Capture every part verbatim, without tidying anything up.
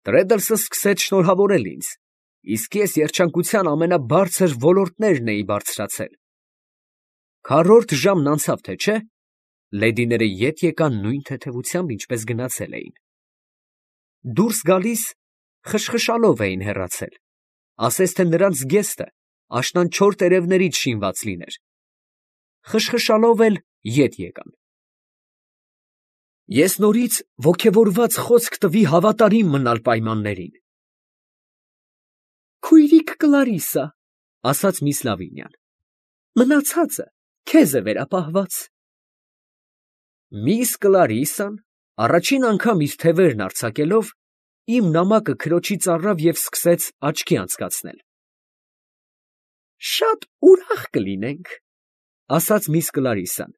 Տրեդլսը սկսեց շնորհավորել ինձ, իսկ ես երջանկության ամենաբարձր ոլորտներն էի բարձրացել։ Քառորդ ժամն անցավ, թե չէ, լեդիները ետ եկան նույն թեթևությամբ, ինչպես գնացել էին. դուրս գալիս խշխշալով էին հեռացել, ասես թե նրանց զգեստը աշնանչոր տերևներից շինված լիներ, խշխշալով էլ ետ եկան։ Ես նորից ոգևորված խոսք տվի հավատարիմ մնալ պայմաններին։ Քույրիկ Կլարիսա, ասաց միս Լավինյան, մնացածը քեզ է վերապահված։ Միս Կլարիսան առաջին անգամ իր թևերն արձակելով, իմ նամակը քրոջից առավ և սկսեց աչքի անցկացնել։ Շատ ուրախ կլինենք, ասաց միս Կլարիսան,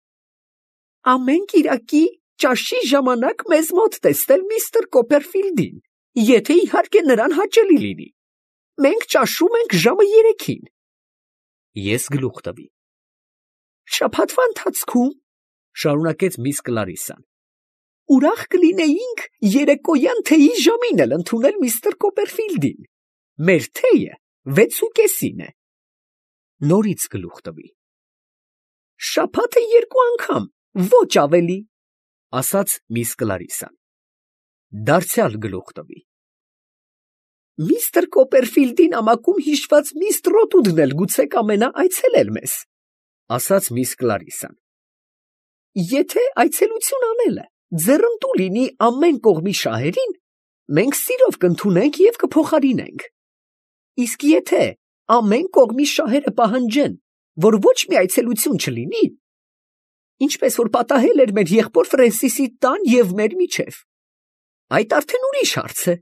ամեն կիրակի ճաշի ժամանակ մեզ մոտ տեսնել միստր Կոպերֆիլդին, եթե իհարկե նրան հաճելի լինի։ Մենք ճաշում ենք ժամը երեքին։ Ես գլուխ տվի։ Շաբաթվա ընթացքում, շարունակեց միս Կլարիսան, ուրախ կլինեինք երեկոյան թեյի ժամին էլ ընդունել միստր Կոպերֆիլդին։ Մեր թեյը վեցուկեսին է։ Նորից գլուխ տվի։ Շաբաթը երկու անգամ, ոչ ավելի, ասաց միս Կլարիսան։ Դարձյալ գլուխ տվի։ Միստր Կոպերֆիլդի նամակում հիշված միստր Ռոթուդն էլ գուցե կամենա այցելել մեզ, ասաց միս Կլարիսան։ Եթե այցելություն անելը ձեռնտու լինի ամեն կողմի շահերին, մենք սիրով կընդունենք և կփոխարինենք։ Իսկ եթե ամեն կողմի շահերը պահանջեն, որ ոչ մի այցելություն չլինի, ինչպես որ պատահել էր մեր եղբոր Ֆրենսիսի տան և մեր միջև, այդ արդեն ուրիշ հարց է։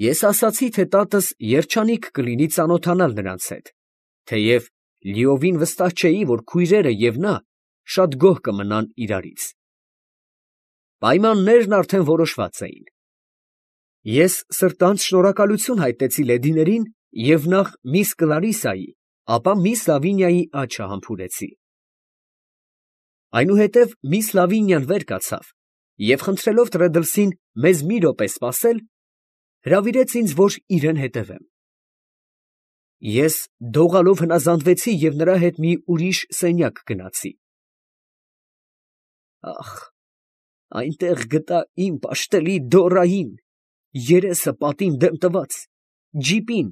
Ես ասացի, թե տատս երջանիկ կլինի ծանոթանալ նրանց հետ, թեև լիովին վստահ չէի, որ քույրերը և նա շատ գոհ կմնան իրարից։ Պայմաններն արդեն որոշված էին։ Ես սրտանց շնորհակալություն հայտնեցի լեդիներին և նախ միս Կլարիսայի, ապա միս Լավինիայի աչքը համբուրեցի։ Այնուհետև միս Լավինյան վեր կացավ և խնդրելով Տրեդլսին մեզ մի րոպե սպասել, հրավիրեց ինձ, որ իրեն հետևեմ։ Ես դողալով հնազանդվեցի և նրա հետ մի ուրիշ սենյակ գնացի։ Ախ, այնտեղ գտա իմ պաշտելի Դորային, երեսը պատին դեմ տված, ջիպին,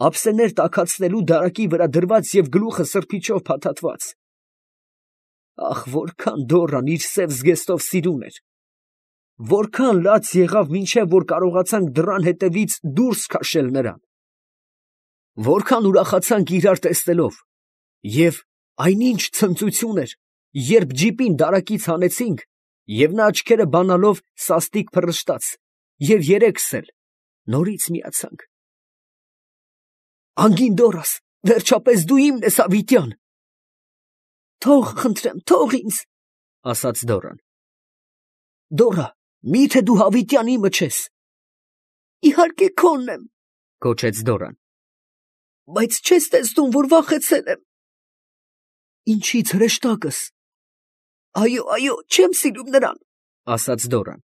ափսեներ տաքացնելու դարակի վրա դրված և գլուխը սրբիչով փաթաթված։ Ախ, որքան Դորան իր սև զգեստով սիրուն էր, որքան լաց եղավ, մինչև որ կարողացանք դռան հետևից դուրս քաշել նրան, որքան ուրախացանք իրար տեսնելով, և այնինչ ցնծություն էր, երբ ջիպին դարակից հանեցինք, և նա աչքերը բանալով սաստիկ փռշտաց, և երեքս էլ նորից միացանք։ Անգին Դորաս, վերջապես դու իմն ես, հավիտյան։ Թող, խնդրեմ, թող ինձ, ասաց Դորան։ Դորա, մի՞թե դու հավիտյան իմը չես։ Իհարկե քոնն եմ, գոչեց Դորան։ Բայց չես տեսնում, որ վախեցել եմ։ Ինչի՞ց, հրեշտակս։ Այո, այո, չեմ սիրում նրան, ասաց Դորան։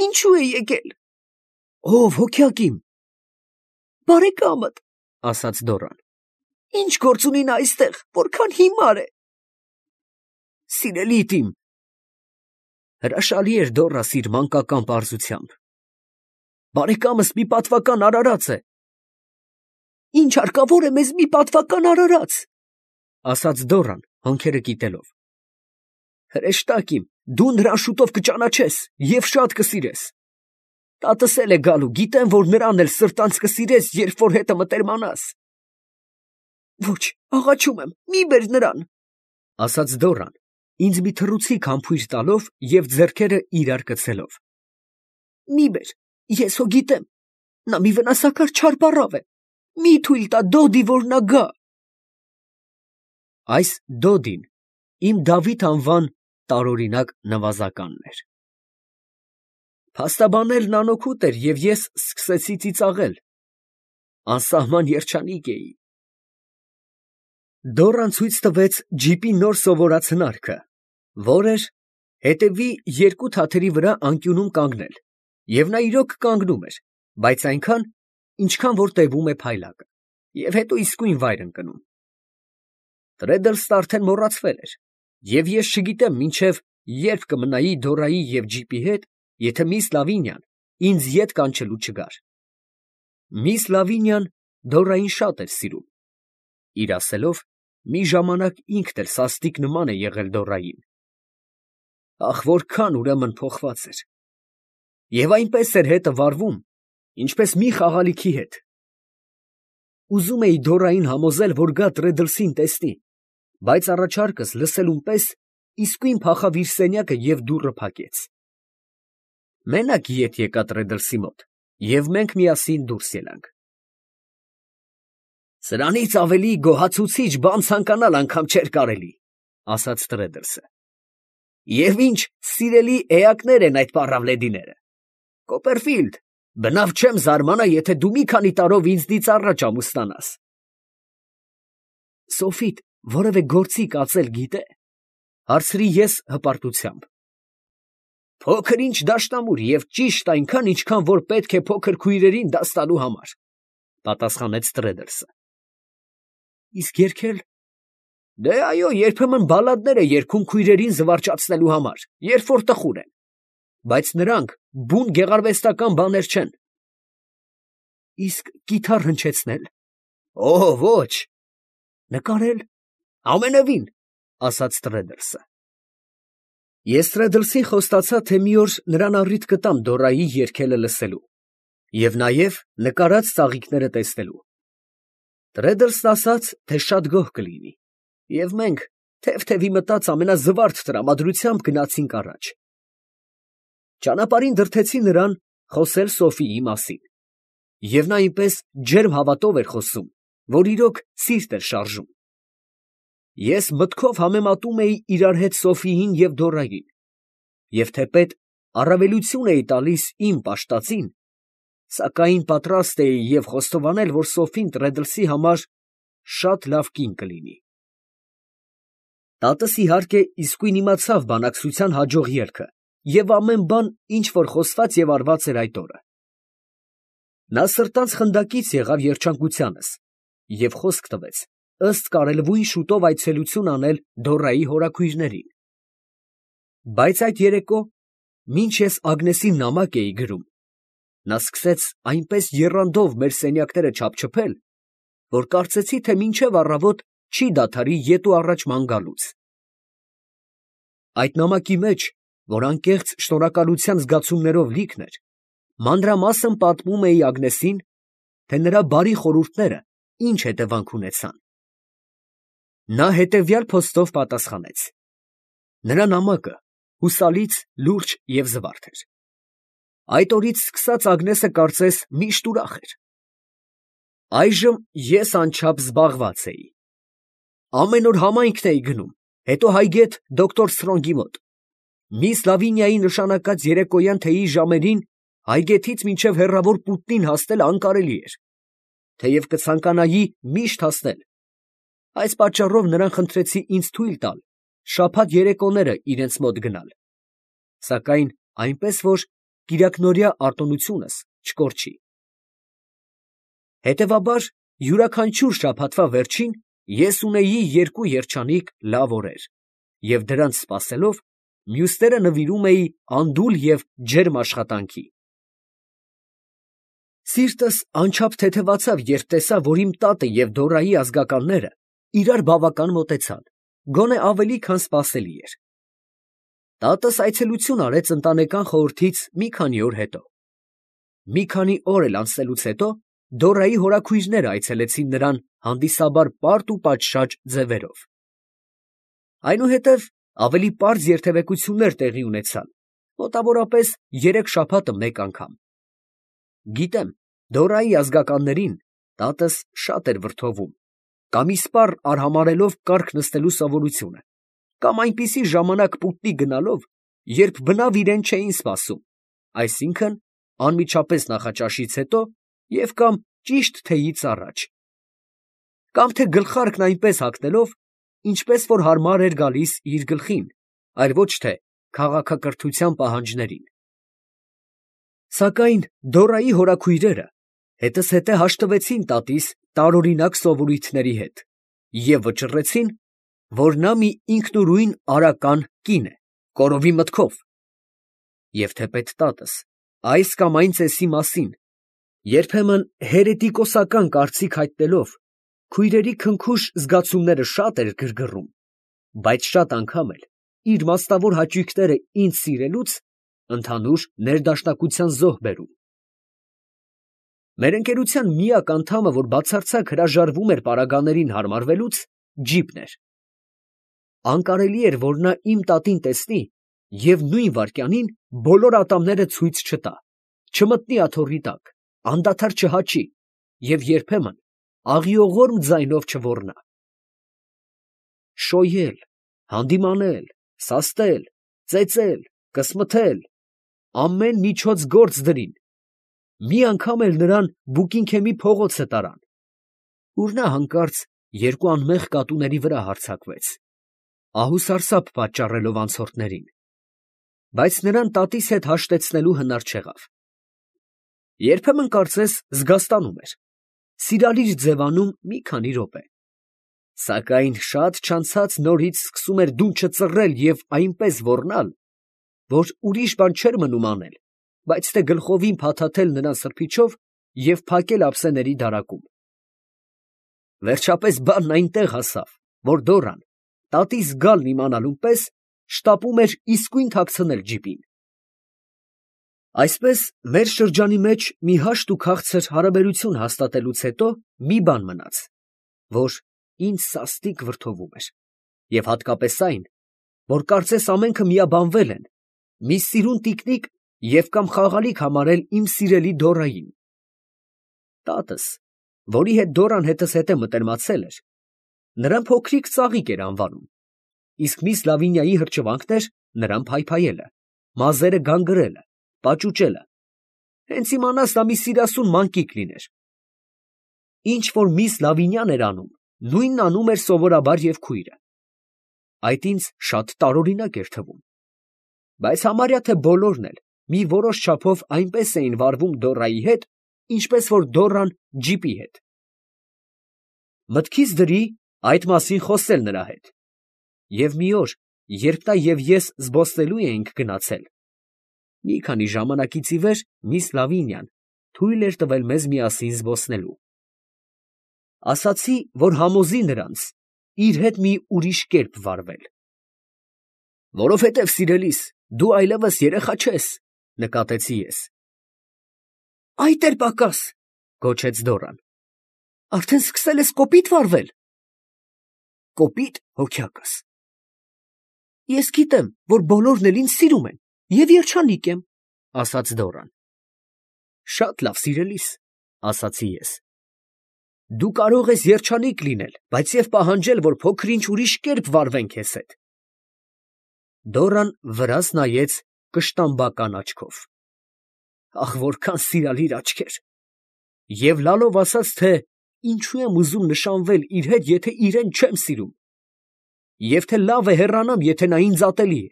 Ինչու է եկել։ Ով, հոգյակ իմ։ Բարեկամդ, ասաց Դորան։ Ինչ գործ ունի նա այստեղ, որքան հիմար է։ Սիրելիդ իմ։ Հրաշալի էր Դորաս իր մանկական պարզությամբ։ Բարեկամս մի պատվական արարած է։ Ինչ հարկավոր է մեզ մի պատվական արարած, ասաց Դորան, հանքերը կիտելով։ Հրեշտակ իմ, դու նրան շուտով կճանաչես և շատ կսիրես։ Տատս էլ է գալու, գիտեմ, որ նրան էլ սրտանց կսիրես, երբ որ հետը մտերմանաս։ Ոչ, աղաչում եմ, մի բեր նրան, ասաց Դորան, ինձ մի թռուցիկ համբույր տալով և ձեռքերը իրար կցելով։ Մի բեր, ես հո գիտեմ, նա մի վնասակար չար պառավ է, մի թույլ տա Դոդի, որ նա գա։ Այս Դոդին իմ Դավիթ անվան տարօրինակ նվազականն էր։ Փաստաբանելն անօգուտ էր, և ես սկսեցի ծիծաղել։ Անսահման երջանիկ էի։ Դորան ցույց տվեց ջիպի նոր սովորած հնարքը, որ էր հետևի երկու թաթերի վրա անկյունում կանգնել Եվ նա իրոք կանգնում էր, բայց այնքան, ինչքան որ տևում է փայլակը, և հետո իսկույն վայր ընկնում։ Տրեդլսն արդեն մոռացվել էր, և ես չգիտեմ մինչև երբ կմնայի Դորայի և ջիպի հետ, եթե միս Լավինյան ինձ ետ կանչելու չգար։ Միս Լավինյան Դորային շատ էր սիրում. իր ասելով, մի ժամանակ ինքն էլ սաստիկ նման է եղել Դորային։ Ախ, որքան ուրեմն փոխված էր։ Եվ այնպես էր հետը վարվում, ինչպես մի խաղալիքի հետ։ Ուզում էի Դորային համոզել, որ գա Տրեդլսին տեսնի, բայց առաջարկս լսելուն պես իսկույն փախավ իր սենյակը և դուռը փակեց։ Մենակ ետ եկա Տրեդլսի մոտ, և մենք միասին դուրս ելանք։ «Սրանից ավելի գոհացուցիչ բան ցանկանալ անգամ չէր կարելի», ֊ ասաց Տրեդլսը։ «Եվ ինչ սիրելի էակներ են այդ պառավլեդիները։ Կոպերֆիլդ, բնավ չեմ զարմանա, եթե դու մի քանի տարով ինձնից առաջ ամուսնանաս»։ «Սոֆիդ որևէ գործի կացել գիտե՞, ֊ հարցրի ես հպարտությամբ։ «Փոքր ինչ դաշնամուր և ճիշտ այնքան, ինչքան որ պետք է փոքր քույրերին դաս տալու համար», ֊ պատասխանեց Տրեդլսը։ «Իսկ երգել»։ «Դե այո, երբեմն բալլադներ է երգում քույրերին զվարճացնելու համար, երբ որ տխուր են, բայց նրանք բուն գեղարվեստական բաներ չեն»։ «Իսկ կիթառ հնչեցնե՞լ»։ «Օ՜, ոչ»։ «Նկարել»։ «Ամենևին», ֊ ասաց Տրեդլսը։ Ես Տրեդլսին խոստացա, թե մի օր նրան առիթ կտամ Դորայի երգելը լսելու և նաև նկարած ծաղիկները տեսնելու։ Տրեդլսն ասաց, թե շատ գոհ կլինի, և մենք թև֊թևի մտած ամենազվարթ տրամադրությամբ գնացինք առաջ։ Ճանապարհին դրդեցի նրան խոսել Սոֆիի մասին, և նա այնպես ջերմ հավատով էր խոսում, որ իրոք սիրտ էր շարժում։ Ես մտքով համեմատում էի իրար հետ Սոֆիին և Դորային, և թեպետ առավելություն էի տալիս իմ պաշտածին, սակայն պատրաստ էի և խոստովանել, որ Սոֆին Տրեդլսի համար շատ լավ կին կլինի։ Տատս, իհարկե, իսկույն իմացավ բանակցության հաջող ելքը և ամեն բան, ինչ որ խոսված և արված էր այդ օրը։ Նա սրտանց խնդակից եղավ երջանկությանս և խոսք տվեց ըստ կարելույն շուտով այցելություն անել Դորայի հորաքույրներին։ Բայց այդ երեկո, մինչ ես Ագնեսին նամակ էի գրում, նա սկսեց այնպես եռանդով մեր սենյակները չափչփել, որ կարծեցի, թե մինչև առավոտ չի դադարի ետ ու առաջ ման գալուց։ Այդ նամակի մեջ, որ անկեղծ շնորհակալության զգացումներով լիքն էր, մանրամասն պատմում էի Ագնեսին, թե նրա բարի խորհուրդները ինչ հետևանք ունեցան։ Նա հետևյալ փոստով պատասխանեց. նրա նամակը հուսալից, լուրջ և զվարթ էր։ Այդ օրից սկսած Ագնեսը կարծես միշտ ուրախ էր։ Այժմ ես անչափ զբաղված էի։ Ամեն օր համայնքն էի գնում, հետո հայգետ դոկտոր Սթրոնգի մոտ։ Միս Լավինիայի նշանակած երեկոյան թեյի ժամերին հայգեթից մինչև հեռավոր Պուտնին հասնել անկարելի էր, թեև կցանկանայի միշտ հասնել։ Այս պատճառով նրան խնդրեցի ինձ թույլ տալ շաբաթ երեկոները իրենց մոտ գնալ, սակայն այնպես, որ կիրակնօրյա արտոնությունս չկորչի։ Հետևաբար, յուրաքանչյուր շաբաթվա վերջին ես ունեի երկու երջանիկ լավ օրեր, և դրանց սպասելով, մյուսները նվիրում էի անդուլ և ջերմ աշխատանքի։ Սիրտս անչափ թեթևացավ, երբ տեսա, որ իմ տատը և Դորայի ազգականները իրար բավական մոտեցան, գոնե ավելի, քան սպասելի էր։ Տատս այցելություն արեց ընտանեկան խորհրդից մի քանի օր հետո։ Մի քանի օր էլ անցնելուց հետո Դորայի հորաքույրները այցելեցին նրան հանդիսաբար պարտ ու պատշաճ ձևերով։ Այնուհետև ավելի պարզ երդևեկություններ տեղի ունեցան, մոտավորապես երեք շաբաթը մեկ անգամ։ Գիտեմ, Դորայի ազգականներին տատս շատ էր վրդովում, կամ իսպառ արհամարհելով կառք նստելու սովորությունը, կամ այնպիսի ժամանակ Պուտնի գնալով, երբ բնավ իրեն չէին սպասում, այսինքն անմիջապես նախաճաշից հետո և կամ ճիշտ թեյից առաջ, կամ թե գլխարկն այնպես հագնելով, ինչպես որ հարմար էր գալիս իր գլխին, այլ ոչ թե քաղաքակրթության պահանջներին։ Սակայն Դորայի հորաքույրերը հետզհետե հաշտվեցին տատիս տարօրինակ սովորույթների հետ և վճռեցին, որ նա մի ինքնուրույն արական կին է, կորովի մտքով, և թեպետ տատս այս կամ այն ծեսի մասին երբեմն հերետիկոսական կարծիք հայտնելով, քույրերի քնքուշ զգացումները շատ էր գրգռում, բայց շատ անգամ էլ իր մասնավոր հաճույքները ինձ սիրելուց ընդհանուր ներդաշնակության զոհ բերում։ Մեր ընկերության միակ անդամը, որ բացարձակ հրաժարվում էր պարագաներին հարմարվելուց, Ջիպն էր։ Անկարելի էր, որ նա իմ տատին տեսնի և նույն վայրկյանին բոլոր ատամները ցույց չտա, չմտնի աթոռի տակ, անդադար չհաչի և երբեմն աղիողորմ ձայնով չոռնա։ Շոյել, հանդիմանել, սաստել, ծեծել, կսմթել, ամեն միջոց գործ դրին, մի անգամ էլ նրան Բուկինգհեմի փողոցը տարան, ուր նա հանկարծ երկու անմեղ կատուների վրա հարձակվեց, ահուսարսափ պատճառելով անցորդներին, բայց նրան տատիս հետ հաշտեցնելու հնար չեղավ։ Երբեմն կարծես զգաստանում էր, սիրալիր ձևանում մի քանի րոպե, սակայն շատ չանցած նորից սկսում էր դունչը ծռել և այնպես ոռնալ, որ ուրիշ բան չէր մնում անել, բայց թե գլխովին փաթաթել նրան սրբիչով և փակել ափսեների դարակում։ Վերջապես բանն այնտեղ հասավ, որ Դորան, տատիս գալն իմանալուն պես, շտապում էր իսկույն թաքցնել ջիպին։ Այսպես մեր շրջանի մեջ մի հաշտ ու քաղցր հարաբերություն հաստատելուց հետո մի բան մնաց, որ ինձ սաստիկ վրդովում էր, և հատկապես այն, որ կարծես ամենքը միաբանվել են, մի սիրուն տիկնիկ և կամ խաղալիք համարել իմ սիրելի Դորային։ Տատս, որի հետ Դորան հետզհետե մտերմացել էր, նրան փոքրիկ ծաղիկ էր անվանում, իսկ միս Լավինիայի հրճվանքն էր նրան փայփայելը, մազերը գանգրելը, պաճուճելը, հենց իմանաս նա մի սիրասուն մանկիկ լիներ։ Ինչ որ միս Լավինյան էր անում, նույնն անում էր սովորաբար և քույրը։ Այդ ինձ շատ տարօրինակ էր թվում, բայց համարյա թե բոլորն էլ մի որոշ չափով այնպես էին վարվում Դորայի հետ, ինչպես որ Դորան ջիպի հետ։ Մտքիս դրի այդ մասին խոսել նրա հետ, և մի օր, երբ նա և ես զբոսնելու էինք գնացել, մի քանի ժամանակից ի վեր միս Լավինյան թույլ էր տվել մեզ միասին զբոսնելու։ Ասացի, որ համոզի նրանց իր հետ մի ուրիշ կերպ վարվել։ Որովհետև, սիրելիս, դու այլևս երեխա չես, ֊ նկատեցի ես։ ֊ Այդ էլ պակաս, ֊ գոչեց Դորան, ֊ արդեն սկսել ես կոպիտ վարվել։ ֊ Կոպիտ, հոգյակս։ ֊ Ես գիտեմ, որ բոլորն էլ ինձ սիրում են և երջանիկ եմ, ֊ ասաց Դորան։ ֊ Շատ լավ, սիրելիս, ֊ ասացի ես, ֊ դու կարող ես երջանիկ լինել, բայց և պահանջել, որ փոքր֊ինչ ուրիշ կերպ վարվեն քեզ հետ։ Դորան վրաս նայեց կշտամբական աչքով։ Ախ, որքան սիրալիր աչքեր, և լալով ասաց, թե ինչու եմ ուզում նշանվել իր հետ, եթե իրան չեմ սիրում, և թե լավ է հեռանամ, եթե նա ինձ ատելի է։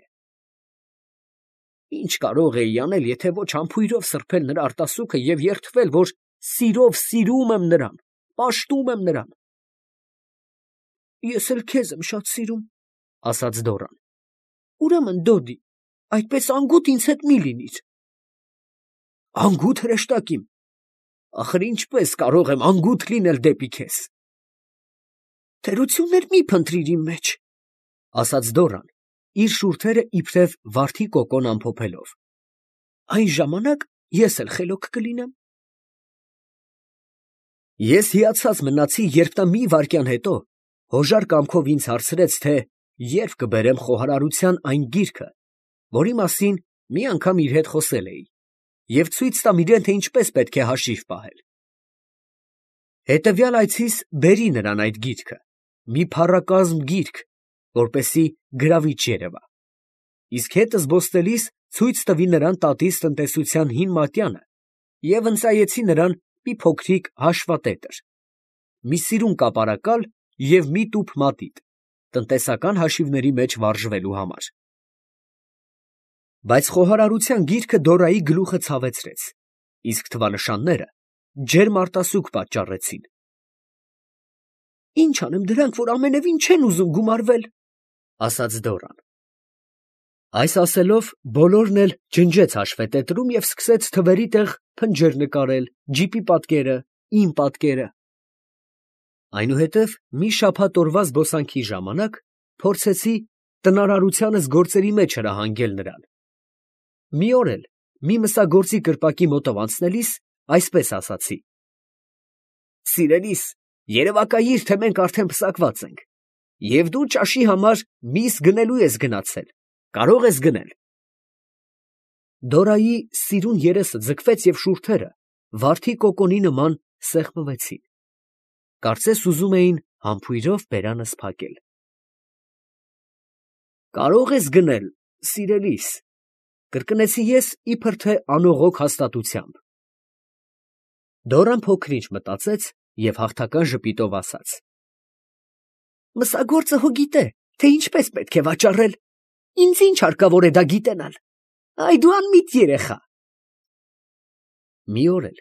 Ի՞նչ կարող էի անել, եթե ոչ համբույրով սրբել նրա արտասուքը և երդվել, որ սիրով սիրում եմ նրան, պաշտում եմ նրան։ Ես էլ քեզ եմ շատ սիրում, ֊ ասաց Դորան։ ֊ Ուրեմն, Դոդի, այդպես անգութ ինձ հետ մի լինիր։ ֊ Անգութ, հրեշտակ իմ, ախր ինչպես կարող եմ անգութ լինել դեպի քեզ։ ֊ Թերություններ մի՛ փնտրիր իմ մեջ, ֊ ասաց Դորան, իր շուրթերը իբրև վարդի կոկոն ամփոփելով. այն ժամանակ ես էլ խելոք կլինեմ։ Ես հիացած մնացի, երբ նա մի վայրկյան հետո հոժար կամքով ինձ հարցրեց, թե ե՞րբ կբերեմ խոհարարության այն գիրքը, որի մասին մի անգամ իր հետ խոսել էի, և ցույց տամ իրան, թե ինչպես պետք է հաշիվ պահել։ Հետևյալ այցիս բերի նրան այդ գիրքը, մի փառակազմ գիրք, որպեսզի գրավիչ երևա, իսկ հետը զբոսնելիս ցույց տվի նրան տատիս տնտեսության հին մատյանը և ընծայեցի նրան մի փոքրիկ հաշվատետր, մի սիրուն կապարակալ և մի տուփ մատիտ, տնտեսական հաշիվների մեջ վարժվելու համար։ Բայց խոհարարության գիրքը Դորայի գլուխը ցավեցրեց, իսկ թվանշանները ջերմ արտասուք պատճառեցին։ «Ինչ անեմ դրանք, որ ամենևին չեն ուզում գումարվել», ֊ ասաց Դորան։ Այս ասելով բոլորն էլ ջնջեց հաշվետետրում և սկսեց թվերի տեղ փնջեր նկարել, ջիպի պատկերը, իմ պատկերը։ Այնուհետև մի շաբաթ օրվա զբոսանքի ժամանակ փորձեցի տնարարությանս գործերի մեջ հրահանգել նրան։ Մի օր էլ մի մսագործի կրպակի մոտով անցնելիս այսպես ասացի. «Սիրելիս, երևակայիր, թե մենք արդեն պսակված ենք, և դու ճաշի համար միս գնելու ես գնացել, կարող ես գնել»։ Դորայի սիրուն երեսը ձգվեց և շուրթերը վարդի կոկոնի նման սեղմվեցին, կարծես ուզում էին համբույրով բերանս փակել։ «Կարող ես գնել, սիրելիս», ֊ կրկնեցի ես իբր թե անողոք հաստատությամբ։ Դորան փոքր ինչ մտածեց և հաղթական ժպիտով ասաց. «Մսագործը հո գիտե, թե ինչպես պետք է վաճառել, ինձ ի՞նչ հարկավոր է դա գիտենալ, այ դու անմիտ երեխա»։ Մի օր էլ,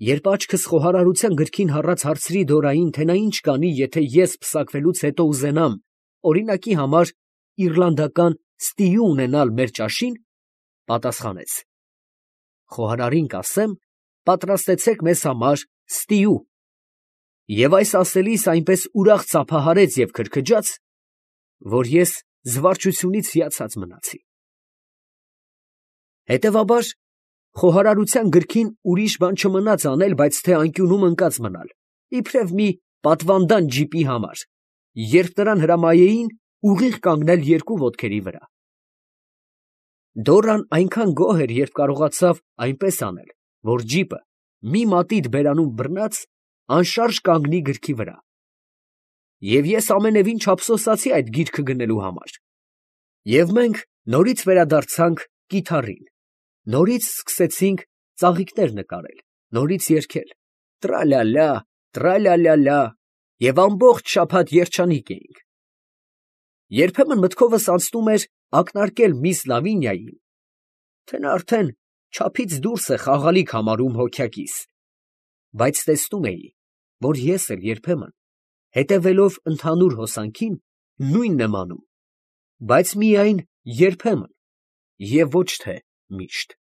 երբ աչքս խոհարարության գրքին հառած հարցրի Դորային, թե նա ինչ կանի, եթե ես պսակվելուց հետո ուզենամ, օրինակի համար, իռլանդական ստիու ունենալ մեր ճաշին, պատասխանեց. «Խոհարարին կասեմ, պատրաստեցեք մեզ համար ստիու», և այս ասելիս այնպես ուրախ ծափահարեց և քրքջաց, որ ես զվարճությունից հիացած մնացի։ Հետևաբար խոհարարության գրքին ուրիշ բան չմնաց անել, բայց թե անկյունում ընկած մնալ, իբրև մի պատվանդան ջիպի համար, երբ նրան հրամայեին ուղիղ կանգնել երկու ոտքերի վրա։ Դորան այնքան գոհ էր, երբ կարողացավ այնպես անել, որ ջիպը մի մատիտ բերանում բռնած անշարժ կանգնի գրքի վրա։ Եվ ես ամենևին չափսոսացի այդ գիրքը գնելու համար։ Եվ մենք նորից վերադարձանք կիթառին, նորից սկսեցինք ծաղիկներ նկարել, նորից երգել «Տրա֊լա֊լա, տրա֊լա֊լա֊լա» և ամբողջ շաբաթ երջանիկ էինք։ Երբեմն մտքովս անցնում էր ակնարկել միս Լավինիային, թե նա արդեն չափից դուրս է խաղալիք համարում հոգյակիս, բայց տեսնում էի, որ ես էլ երբեմն, հետևելով ընդհանուր հոսանքին, նույնն եմ անում, բայց միայն երբեմն և ոչ թե միշտ։